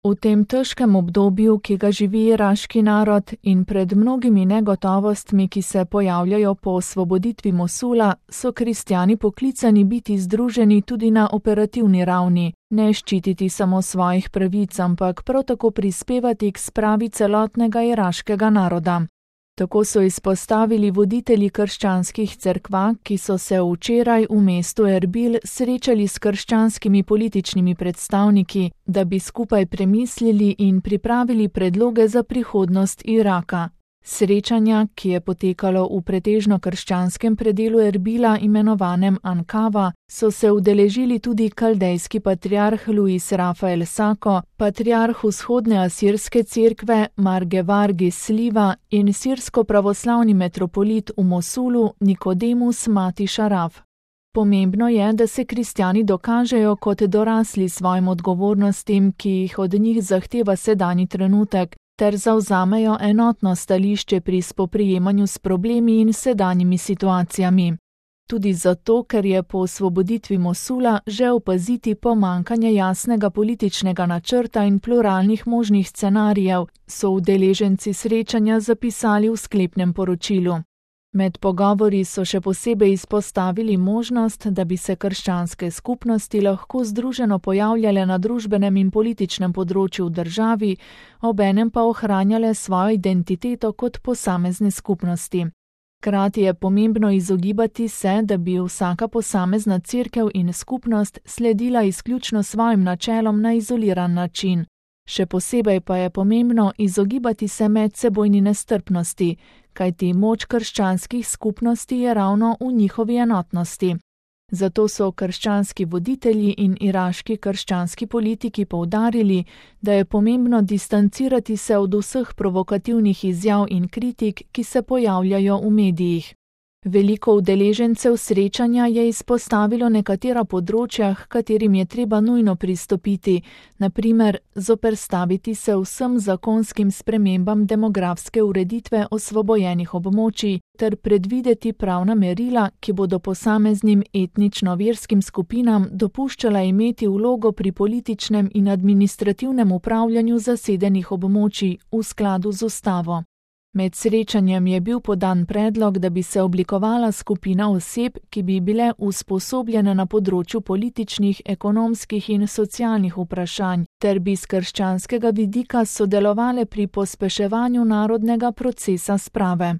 V tem težkem obdobju, ki ga živi iraški narod in pred mnogimi negotovostmi, ki se pojavljajo po osvoboditvi Mosula, so kristjani poklicani biti združeni tudi na operativni ravni, ne ščititi samo svojih pravic, ampak prav tako prispevati k spravi celotnega iraškega naroda. Tako so izpostavili voditelji krščanskih cerkva, ki so se včeraj v mestu Erbil srečali s krščanskimi političnimi predstavniki, da bi skupaj premislili in pripravili predloge za prihodnost Iraka. Srečanja, ki je potekalo v pretežno krščanskem predelu Erbila imenovanem Ankava, so se udeležili tudi kaldejski patriarh Luis Rafael Sako, patriarh vzhodne asirske cerkve Margevar Gisliva in sirsko-pravoslavni metropolit v Mosulu Nikodemus Mati Šaraf. Pomembno je, da se kristjani dokažejo kot dorasli svojim odgovornostim, ki jih od njih zahteva sedanji trenutek, ter zavzamejo enotno stališče pri spoprijemanju s problemi in sedanjimi situacijami. Tudi zato, ker je po osvoboditvi Mosula že opaziti pomanjkanje jasnega političnega načrta in pluralnih možnih scenarijev, so udeleženci srečanja zapisali v sklepnem poročilu. Med pogovori so še posebej izpostavili možnost, da bi se krščanske skupnosti lahko združeno pojavljale na družbenem in političnem področju v državi, obenem pa ohranjale svojo identiteto kot posamezne skupnosti. Hkrati je pomembno izogibati se, da bi vsaka posamezna cerkev in skupnost sledila izključno svojim načelom na izoliran način. Še posebej pa je pomembno izogibati se medsebojni nestrpnosti, kajti moč krščanskih skupnosti je ravno v njihovi enotnosti. Zato so krščanski voditelji in iraški krščanski politiki poudarili, da je pomembno distancirati se od vseh provokativnih izjav in kritik, ki se pojavljajo v medijih. Veliko udeležencev srečanja je izpostavilo nekatera področja, h katerim je treba nujno pristopiti, na primer zoperstaviti se vsem zakonskim spremembam demografske ureditve osvobojenih območij ter predvideti pravna merila, ki bodo posameznim etnično-verskim skupinam dopuščala imeti vlogo pri političnem in administrativnem upravljanju zasedenih območij v skladu z ustavo. Med srečanjem je bil podan predlog, da bi se oblikovala skupina oseb, ki bi bile usposobljene na področju političnih, ekonomskih in socialnih vprašanj, ter bi s krščanskega vidika sodelovale pri pospeševanju narodnega procesa sprave.